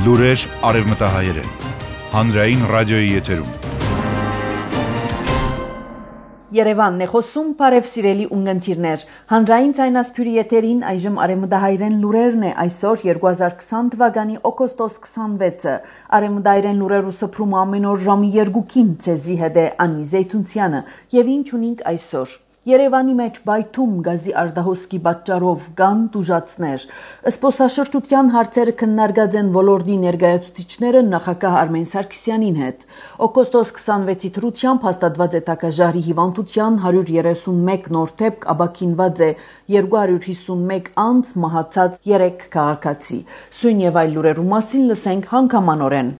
Լուրեր արևմտահայերեն, հանրային ռադիոյի եթերում։ Երևանն է խոսում, բարև սիրելի ունգընտիրներ, հանրային ձայնասփյուրի եթերին այժմ արևմտահայերեն լուրերն է այսօր 2020 թվականի օգոստոս 26-ը, արևմտահայերեն լուրերու սփռումը ամեն օր ժամի 2-ին ցեզի հետ է Անի Զեյթունցյանը եւ ինչ ունենք այսօր։ Երևանի մեջ բայթում գազի արդահոսքի պատճառով կան տուժածներ։ Զբոսաշրջության հարցերը քննարկած են ոլորտի ներկայացուցիչները նախագահ Արմեն Սարգսյանին հետ։ Օգոստոս 26-ի թրությամբ հաստատված է տակաժարի հիվանդության 131 նոր դեպք, ապաքինված է 251 անձ, մահացած 3 քաղաքացի։ Սույն եւ այլ լուրերու մասին լսենք հանգամանորեն։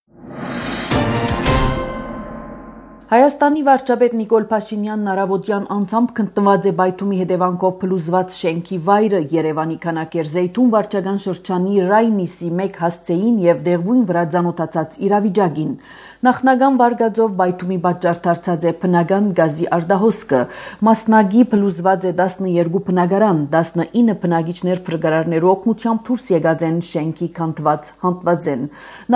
Հայաստանի վարչապետ Նիկոլ Փաշինյանն առավոտյան անձամբ քննված է բայթումի հետևանքով փլուզված շենքի վայրը Երևանի Քանակերզեյթուն վարչական շրջանի Ռայնիսի 1 հասցեին եւ դեղվույն վրա ծանոթացած իրավիճակին։ Նախնական վարկածով բայթումի պատճառ դարձած է բնական գազի արդահոսքը։ Մասնագի փլուզված է 12 բնակարան, 19 բնակիչներ փրկարարներու օգնությամբ դուրս եկած են շենքի քանդված հատվածեն։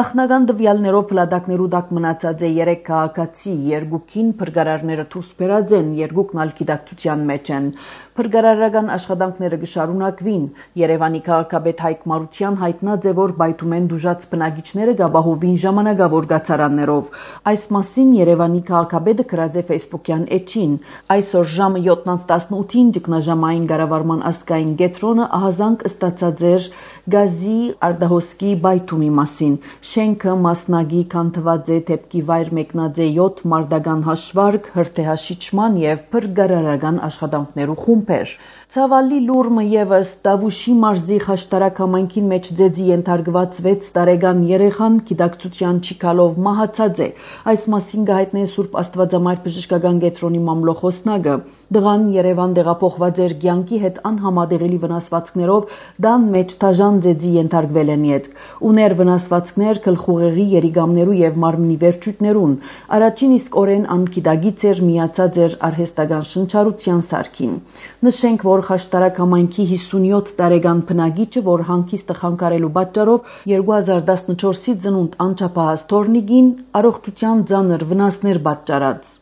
Նախնական տվյալներով փլատակներու տակ մնացած է 3 քաղաքացի, 2-ին փրկարարները դուրս բերած են, 2-ն ալ գիտակցության մեջ են։ Փրկարարական աշխատանքները կշարունակվին։ Երևանի քաղաքապետ Հայկ Մարության հայտնած է, որ բայթումեն դուժած բնակիչները կապահովին ժամանակավոր կացարաններով։ Այս մասին Երևանի քաղաքապետը գրած է Facebook-յան էջին։ Այսօր ժամը 7:18-ին ճգնաժամային կառավարման ազգային կենտրոնը ահազանգ ստացած էր գազի արդահոսքի բայթումի մասին։ Շենքը մասնագի քանդված է, դեպքի վայր մեկնած է 7 մարդական հաշվարկ, հրթեհաշիչման եւ փրկարարական աշխատանքներու խումբեր։ Ցավալի լուրը եւս Տավուշի մարզի Խաշտարակ համայնքին մեջ ձեզի ենթարկված 6 տարեկան երեխան գիտակցության չիկալով մահացած է։ Այս մասին գահիտնե Սուրբ Աստվածամայր բժշկական կենտրոնի մամլոխոսնակը։ Դղան Երևան տեղափոխված էր կյանքի հետ անհամատեղելի վնասվածքներով, դան մեջ թաժան ձեզի ենթարկվել են յետք։ Ուներ վնասվածքներ գլխուղեղի, երիգամներու եւ մարմնի վերջույթներուն։ Առաջին իսկ օրեն անգիտագից էր միացած էր արհեստական շնչառության սարքին։ Նշենք, որ Խաշտարակ համայնքի 57 տարեկան բնակիչը, որ հանգիստը խանգարելու պատճառով 2014-ի ծնունդ անչափահաս թորնիկին առողջության ծանր վնասներ պատճառած։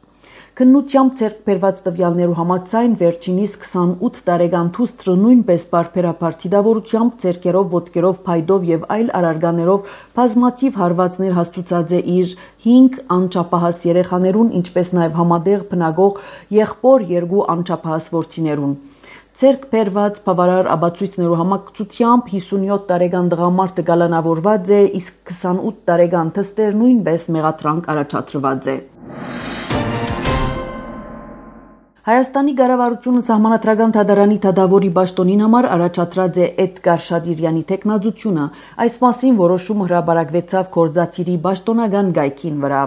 Քննությամբ ձեռք բերված տվյալներու համաձայն վերջինիս 28 տարեկան թուստրը նույնպես բարբերաբար դիդավորությամբ, ձեռքերով, ոտքերով, փայդով եւ այլ արարկաներով բազմաթիվ հարվածներ հաստուցած է իր 5 անչափահաս երեխաներուն, ինչպես նաեւ համատեղ բնակող եղբոր 2 անչափահաս որդիներուն։ Ձեռք բերված բավարար ապացույցներու համակցությամբ 57 տարեկան տղամարդը գալանավորված է, իսկ 28 տարեկան թստեր նույնպես մեղադրանք առաջադրված է։ Հայաստանի կառավարությունը Սահմանադրական դատարանի դատավորի պաշտոնին համար առաջադրած է Էդգար Շադիրյանի թեկնածությունը։ Այս մասին որոշումը հրապարակվեցավ գործադիրի պաշտոնական գայքին վրա։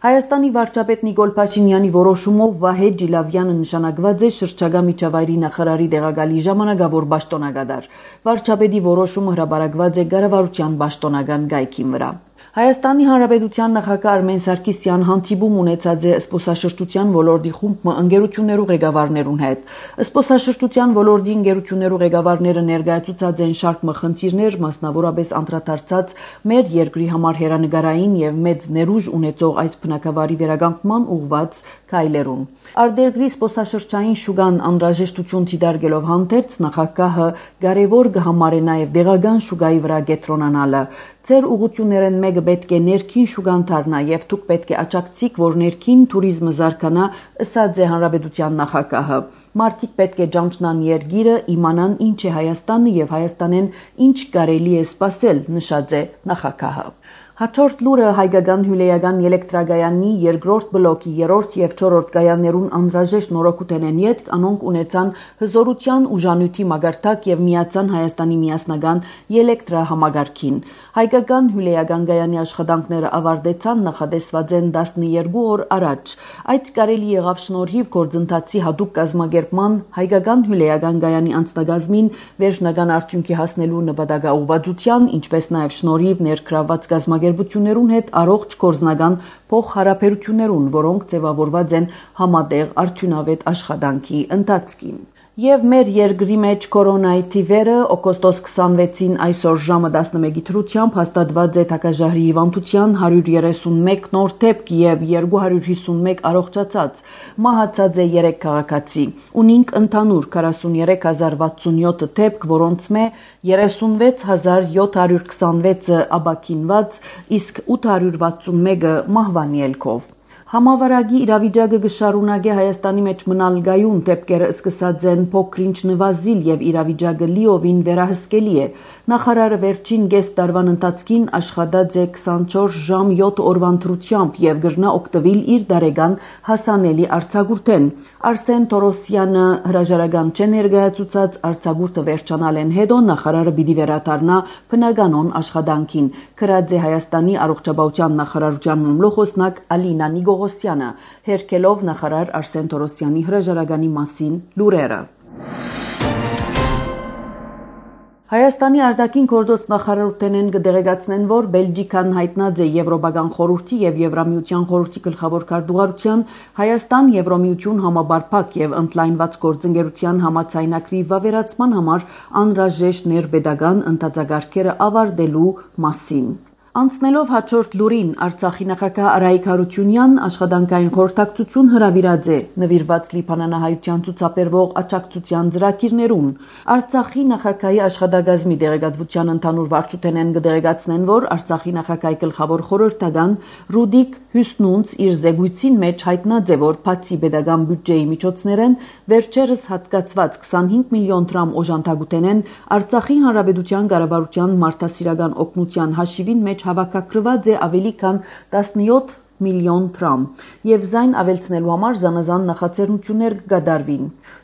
Հայաստանի վարչապետ Նիկոլ Փաշինյանի որոշումով Վահե Ջիլավյանը նշանակված է շրջակա միջավայրի նախարարի տեղակալի ժամանակավոր պաշտոնակատար։ Վարչապետի որոշումը հրապարակված է կառավարության պաշտոնական գայքին վրա։ Հայաստանի Հանրապետության նախագահ Արմեն Սարգսյան հանդիպում ունեցած է զբոսաշրջության ոլորտի խումբ ընկերություններու ղեկավարներուն հետ։ Զբոսաշրջության ոլորտի ընկերություններու ղեկավարները ներկայացուցած են շարք խնդիրներ, մասնավորապես անդրադարձած մեր երկրի համար հերանեկարային եւ մեծ ներուժ ունեցող այս բնակավարի վերականգնման ուղղված քայլերուն։ Արտերկրի զբոսաշրջային շուկան անհրաժեշտություն դիտարկելով հանդերձ նախագահը կարևոր կհամարե նաեւ դեղական շուկայի վրա կենտրոնանալը։ Ձեր ուղղություններն մեկը պետք է ներքին շուկան դառնա եւ դուք պետք է աջակցիք, որ ներքին туриզմը զարգանա, ըսած է հանրապետության նախագահը։ Մարդիկ պետք է ճանչնան երկիրը, իմանան ինչ է Հայաստանը եւ Հայաստանեն ինչ կարելի է սպասել, նշած է նախագահը։ Հաջորդ լուրը հայկական հյուրեական էլեկտրագայանի երկրորդ բլոկի 3-րդ եւ 4-րդ գայաններուն անհրաժեշտ նորոգութենեն յետք անոնք ունեցան հզորության ուժանյութի մագարտակ եւ միացան Հայաստանի միասնական էլեկտրահամագարքին։ Հայկական հյուրեական գայանի աշխատանքները ավարտեցան նախադեсված են 12 օր առաջ։ Այդ կարելի եղավ շնորհիվ գործընթացի հատուկ կազմակերպման հայկական հյուրեական գայանի անձնագազմին վերջնական արդյունքի հասնելու նպատակաուղղվածության, ինչպես նաեւ շնորհիվ ներգրավված կազմակերպություններուն հետ առողջ գործնական փոխհարաբերություններուն, որոնք ձևավորված են համատեղ արդյունավետ աշխատանքի ընթացքին։ Եվ մեր երկրի մեջ կորոնայի թիվերը օգոստոս 26-ին այսօր ժամը 11-ի թրությամբ հաստատված է թակաժահրի հիվանդության 131 նոր դեպք եւ 251 առողջացած, մահացած է 3 քաղաքացի։ Ունինք ընդհանուր 43067 դեպք, որոնց մե 36726-ը աբակինված, իսկ 861-ը մահվանի ելքով։ Համավարակի իրավիճակը կշարունակի Հայաստանի մեջ մնալ գայուն, դեպքերը սկսած են փոքրինչ նվազիլ եւ իրավիճակը լիովին վերահսկելի է։ Նախարարը վերջին 6 տարվան ընթացքին աշխատած է 24 ժամ 7 օրվա ընտրությամբ եւ գրնա օգտվել իր դարեգան հասանելի արձագուրդեն։ Արսեն Թորոսյանը հրաժարական չներկայացուցած արձագուրդը վերջանալեն հետո նախարարը պիտի վերադառնա բնականոն աշխատանքին։ Գրած է Հայաստանի առողջապահության նախարարության մամլոխոսնակ Ալինա Նիգողոսյանը, հերքելով նախարար Արսեն Թորոսյանի հրաժարականի մասին լուրերը։ Հայաստանի արտաքին գործոց նախարարութենեն կդեղեկացնեն, որ Բելգիկան հայտնած է Եվրոպական խորհրդի եւ Եվրամիության խորհրդի գլխավոր քարտուղարության Հայաստան-Եվրամիություն համաբարփակ եւ ընդլայնված գործընկերության համաձայնագրի վավերացման համար անհրաժեշտ ներբեդական ընթացակարգերը ավարտելու մասին։ Անցնելով հաջորդ լուրին, Արցախի նախագահ Արայիկ Հարությունյանն աշխատանքային խորհրդակցություն հրավիրած է նվիրված լիբանանահայության ցուցաբերվող աջակցության ծրագիրներուն։ Արցախի նախագահի աշխատակազմի դեղեկատվության ընդհանուր վարչութենեն կդեղեկացնեն, որ Արցախի նախագահի գլխավոր խորհրդական Ռուդիկ Հյուսնունց իր զեկույցին մեջ հայտնած է, որ բացի պետական բյուջեի միջոցներեն վերջերս հատկացված 25 միլիոն դրամ օժանդակութենեն Արցախի հանրապետության կառավարության մարդասիրական օգնության հաշիվին մեջ հավաքագրված է ավելի քան 17 միլիոն դրամ եւ զայն ավելցնելու համար զանազան նախաձեռնություններ կկատարվին։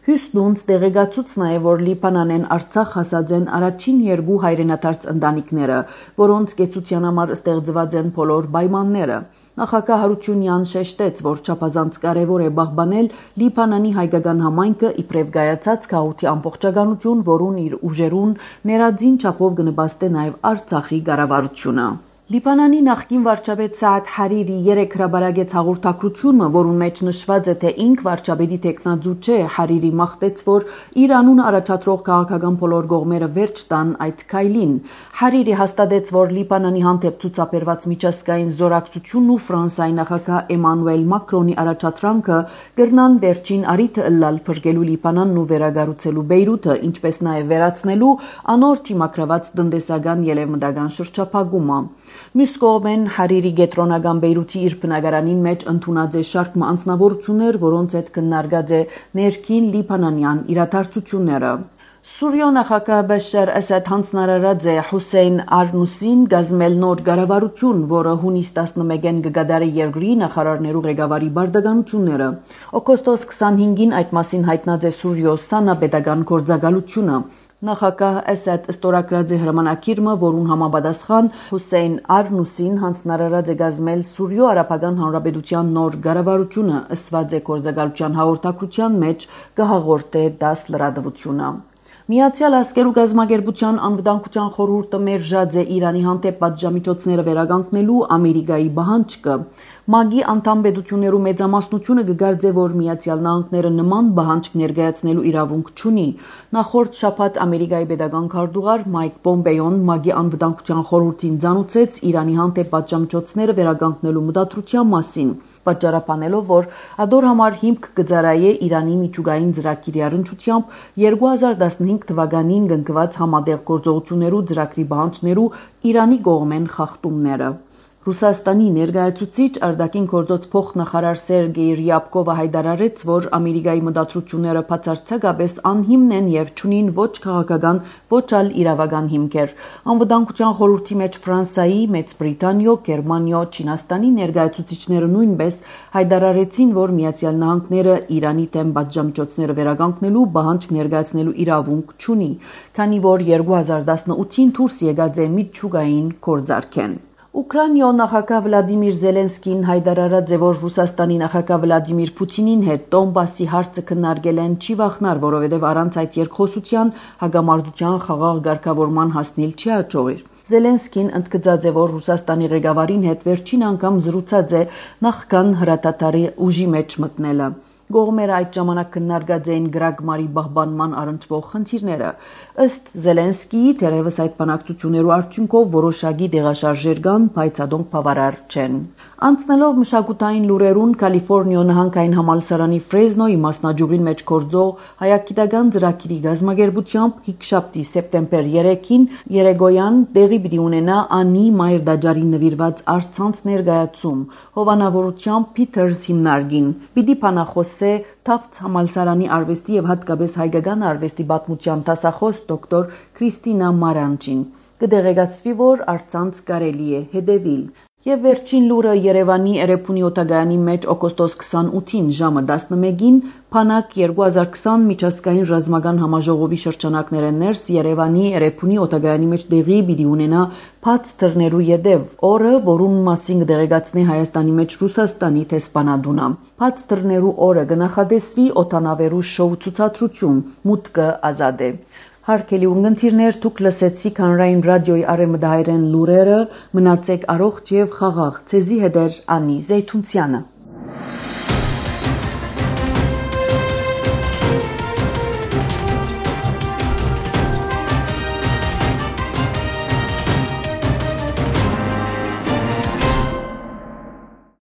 Հյուսնունց դեղեկացուց նաեւ, որ Լիբանանեն Արցախ հասած են առաջին 2 հայրենադարձ ընտանիքները, որոնց կեցության համար ստեղծված են բոլոր պայմանները։ Նախագահ Հարությունյան շեշտեց, որ չափազանց կարևոր է պահպանել Լիբանանի հայկական համայնքը իբրև գայացած գաղութի ամբողջականություն, որուն իր ուժերուն ներածին չափով կնպաստե նաեւ Արցախի կառավարությունը։ Լիբանանի նախկին վարչապետ Սաադ Հարիրի 3 հրաբարագեց հաղորդակցությունը, որուն մեջ նշված է, թե ինք վարչապետի տեխնաձու չէ, Հարիրի մաղթեց, որ իր անունը առաջադրող քաղաքական բոլոր կողմերը վերջ տան այդ քայլին։ Հարիրի հաստատեց, որ Լիբանանի հանդեպ ցուցաբերված միջազգային զորակցությունն ու Ֆրանսիայի նախագահ Էմանուել Մակրոնի առաջադրանքը կրնան վերջին առիթը ըլլալ փրկելու Լիբանանն ու վերագառուցելու Բեյրութը, ինչպես նաև վերացնելու անոր թիմակրված տնտեսական ելևմտական շրջափակումը։ Մյուս կողմեն Հարիրի գետրոնական Բեյրութի իր բնակարանին մեջ ընդունած է շարք անձնավորություններ, որոնց հետ քննարկած է ներքին լիբանանյան իրադարձությունները։ Սուրիո նախագահ Բաշար Ասադ հանձնարարած է Հուսեյն Արնուսին գազմել նոր կառավարություն, որը հունիս 11-ին կգադարի երկրի նախարարներու ղեկավարի բարդականությունները։ Օգոստոս 25-ին այդ մասին հայտնած է Սուրիո Սանա պետական գործակալությունը։ Նախագահ Ասադ ստորագրած է հրամանակիրը, որուն համապատասխան Հուսեյն Արնուսին հանձնարարած է գազմել Սուրիո Արաբական Հանրապետության նոր կառավարությունը, ըսված է գործակալության հաղորդակցության մեջ կհաղորդե դաս լրատվությունը։ Միացյալ Ազգերու գազམ་ագերբության անվտանգության խորհուրդը մերժած է Իրանի հանդեպ պատժամիջոցները վերականգնելու Ամերիկայի պահանջը։ ՄԱԳ-ի անդամ պետություններու մեծամասնությունը կգարձե, որ Միացյալ Նահանգները նման պահանջ ներկայացնելու իրավունք չունի։ Նախորդ շաբաթ Ամերիկայի պետական քարտուղար Մայք Պոմպեոն ՄԱԳ-ի անվտանգության խորհրդին ցանուցեց Իրանի հանդեպ պատժամիջոցները վերականգնելու մտադրության մասին, պատճառաբանելով, որ ադոր համար հիմք կծառայե Իրանի միջուկային ծրագիրի առնչությամբ 2015 թվականին կնքված համատեղ գործողություններու ծրագրի պահանջներու Իրանի կողմեն խախտումները։ Ռուսաստանի ներկայացուցիչ արտաքին գործոց փոխնախարար Սերգեյ Ռյաբկովը հայտարարեց, որ Ամերիկայի մտադրությունները բացարձակապես անհիմն են եւ չունին ոչ քաղաքական, ոչ ալ իրավական հիմքեր։ Անվտանգության խորհրդի մեջ Ֆրանսիայի, Մեծ Բրիտանիո, Գերմանիո, Չինաստանի ներկայացուցիչները նույնպես հայտարարեցին, որ Միացյալ Նահանգները Իրանի դեմ պատժամիջոցները վերականգնելու պահանջ ներկայացնելու իրավունք չունի, քանի որ 2018-ին դուրս եկած է միջուկային գործարքեն։ Ուկրաինայո նախագահ Վլադիմիր Զելենսկին հայտարարած է, որ Ռուսաստանի նախագահ Վլադիմիր Պուտինին հետ Դոնբասի հարցը քննարկել են չի վախնար, որովհետև առանց այդ երկխոսության հագամարտության խաղաղ ղեկավարման հասնել չի հաջողվի։ Զելենսկին ընդգծած է, որ Ռուսաստանի ղեկավարին հետ վերջին անգամ զրուցած է նախքան հրատատարի ուժի մեջ մտնելը։ Կողմերը այդ ժամանակ քննարկած էին գրագմարի պահպանման առնչվող խնդիրները։ Ըստ Զելենսկիի, թերևս այդ բանակցություններու արդյունքով որոշակի տեղաշարժեր կան, բայց ադոնք բավարար չեն։ Անցնելով մշակութային լուրերուն, Կալիֆոռնիա նահանգային համալսարանի Ֆրեզնոյի մասնաճյուղին մեջ գործող հայագիտական ծրագիրի գազམ་ագերբությամբ հինգշաբթի սեպտեմբեր 3-ին երեգոյան տեղի պիտի ունենա Անի Մայր դաջարին նվիրված առցանց ներկայացում հովանավորությամբ Փիթերս հիմնարկին։ Պիտի բանախոսե Թաֆթս համալսարանի արվեստի եւ հատկապես հայկական արվեստի պատմության դասախոս դոկտոր Քրիստինա Մարանջին։ Կդեղեկացվի, որ առցանց կարելի է հետևել։ Եվ վերջին լուրը Երևանի Էրեբունի օտագայանի մեջ օգոստոս 28-ին ժամը 11-ին Փանակ 2020 միջազգային ռազմական համաժողովի շրջանակներեն ներս Երևանի Էրեբունի օտագայանի մեջ տեղի պիտի ունենա բաց դռներու յետև օրը, որուն մասին կդեղեկացնի Հայաստանի մեջ Ռուսաստանի տեսփանադունը։ Բաց դռներու օրը կնախադեсվի օտանավերու շոու ցուցադրություն, մուտքը ազատ է։ Հարգելի ունգընտիրներ, դուք լսեցիք հանրային ռադիոյի արևմտահայերեն լուրերը, մնացեք առողջ եւ խաղաղ։ Ցեզի հետ էր Անի Զեյթունցյանը։